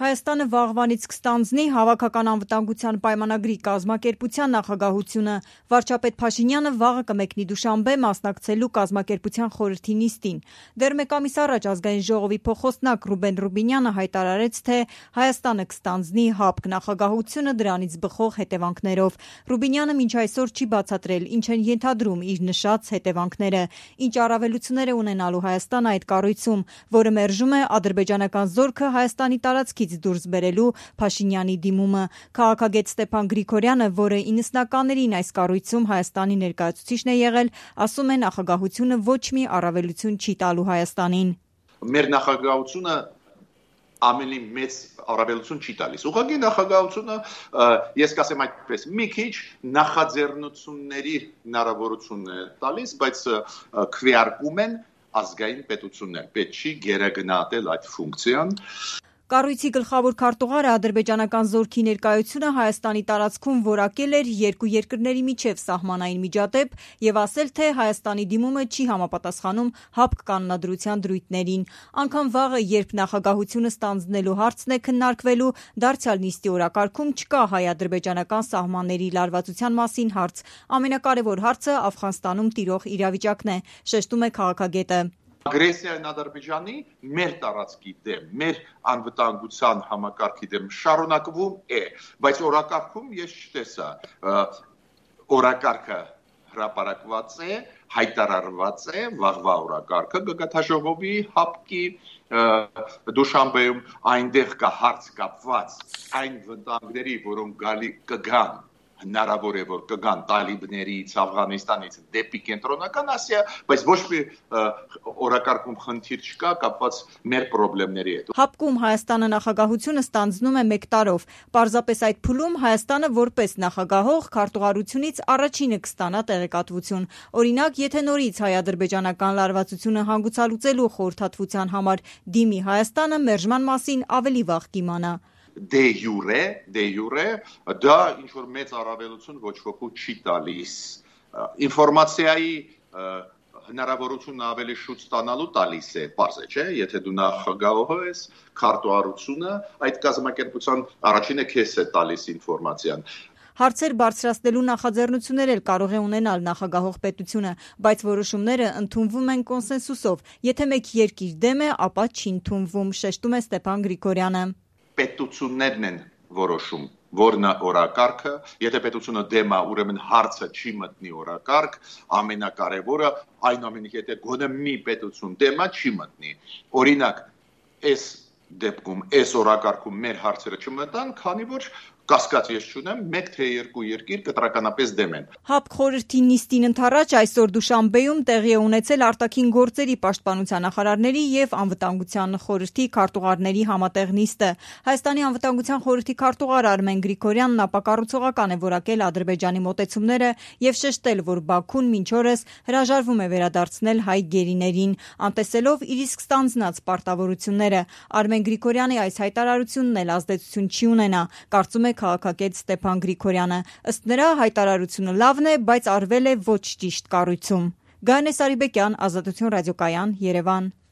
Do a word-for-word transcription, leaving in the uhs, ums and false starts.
Հայաստանը վաղվանից կստանձնի Հավաքական անվտանգության պայմանագրի կազմակերպության նախագահությունը։ Վարչապետ Փաշինյանը վաղը կմեկնի Դուշանբե մասնակցելու կազմակերպության խորհրդի նիստին։ Դեռ մեկ ամիս առաջ Ազգային ժողովի փոխոստնակ Ռուբեն Ռուբինյանը հայտարարեց, թե Հայաստանը կստանձնի ՀԱՊԿ նախագահությունը դրանից բխող հետևանքներով։ Ռուբինյանը մինչ այսօր չի բացատրել, ինչ են ենթադրում իր նշած հետևանքները, ինչ առավելություններ է ունենալու Հայաստանը այդ կառույցում, որը մերժում է ադրբեջանական զորքը Հայաստանի տարածքից դուրս բերելու Փաշինյանի դիմումը։ Քաղաքագետ Ստեփան Գրիգորյանը, որը իննսնականներին այս կառույցում Հայաստանի ներկայացուցիչն է եղել, ասում է, նախագահությունը ոչ մի առավելություն չի տալու Հայաստանին։ Մեր նախագահությունը ամենի մեծ առավելություն չի տալիս։ Ուղղակի նախագահությունը, ես կասեմ այդպես, մի քիչ նախաձեռնությունների հնարավորություն է տալիս, բայց քվեարկում են ազգային պետություններ։ Պետք չի գերագնահատել այդ ֆունկցիան։ Կառույցի գլխավոր քարտուղարը ադրբեջանական զորքի ներկայությունը Հայաստանի տարածքում որակել էր երկու երկրների միջև սահմանային միջադեպ եւ ասել, թե Հայաստանի դիմումը չի համապատասխանում ՀԱՊԿ կանոնադրության դրույթներին։ Անկամ վաղը, երբ նախագահությունը ստանձնելու հարցն է քննարկվելու, դարձյալ նիստի օրակարգում չկա հայ-ադրբեջանական սահմանների լարվածության մասին հարց։ Ամենակարևոր հարցը Աֆղանստանում տիրող իրավիճակն է, շեշտում է քաղաքագետը։ Ագրեսիան Ադրբեջանի մեր տարածքի դեմ, մեր անվտանգության համակարգի դեմ շարունակվում է, բայց օրակարգում ես չտեսա, օրակարգը հրապարակված է, հայտարարված է, վաղվա օրակարգը գագաթաժողովի ՀԱՊԿ-ի Դուշանբեում, այնտեղ կա հարց կապված այն վտանգների, որոնք գալի կգան, հնարավոր է, որ կգան տալիբներից, Աֆղանստանից դեպի կենտրոնական Ասիա, բայց ոչ մի օրակարգում խնդիր չկա կապված մեր խնդիրների հետ։ ՀԱՊԿ-ում Հայաստանը նախագահությունը ստանձնում է մեկ տարով։ Պարզապես այդ փուլում Հայաստանը որպես նախագահող քարտուղարությունից առաջինը կստանա տեղեկատվություն։ Օրինակ, եթե նորից հայ-ադրբեջանական լարվածությունը հանգուցալուծելու խորհրդատվության համար դիմի Հայաստանը, մերժման մասին ավելի վաղ կիմանա։ Դե յուրե, դե յուրե, դա ինչ-որ մեծ առավելություն ոչ ոքի չի տալիս։ Ինֆորմացիայի հնարավորությունը ավելի շուտ ստանալու տալիս է, պարզ է, չէ՞, եթե դու նախագահող ես, քարտուղարությունը այդ կազմակերպության առաջինը քեզ է տալիս ինֆորմացիան։ Հարցեր բարձրացնելու նախաձեռնություններ էլ կարող է ունենալ նախագահող պետությունը, բայց որոշումները ընդունվում են կոնսենսուսով։ Եթե մեկ երկիր դեմ է, ապա չի ընդունվում, շեշտում է Ստեփան Գրիգորյանը։ Պետություններն են որոշում, որն է օրակարգը, եթե պետությունը դեմ է, ուրեմն հարցը չի մտնի օրակարգ, ամենակարևորը այնուամենայնիվ եթե գոնե մի պետություն դեմ է, չի մտնի։ Օրինակ, այս դեպքում, այս օրակարգում մեր հարցերը չմտան, քանի որ կասկած ես չունեմ, մեկ թե երկու երկիր կտրականապես դեմ են։ ՀԱՊԿ խորհրդի նիստին ընդառաջ այսօր Դուշանբեում տեղի է ունեցել արտաքին գործերի պաշտպանության նախարարների եւ անվտանգության խորհրդի քարտուղարների համատեղ նիստը։ Հայաստանի անվտանգության խորհրդի քարտուղար Արմեն Գրիգորյանն ապակառուցողական է որակել Ադրբեջանի մոտեցումները եւ շեշտել, որ Բաքուն մինչ օրս հրաժարվում է վերադարձնել հայ գերիներին, անտեսելով իր իսկ ստանձնած պարտավորությունները։ Արմեն Գրիգորյանի այս հայտարարությունն էլ ազդեցություն չի ունենա, կարծում է քաղաքագետ Ստեփան Գրիգորյանը։ Ըստ նրա, հայտարարությունը լավն է, բայց արվել է ոչ ճիշտ կառույցում։ Գայանե Սարիբեկյան, Ազատություն ռադիոկայան, Երևան։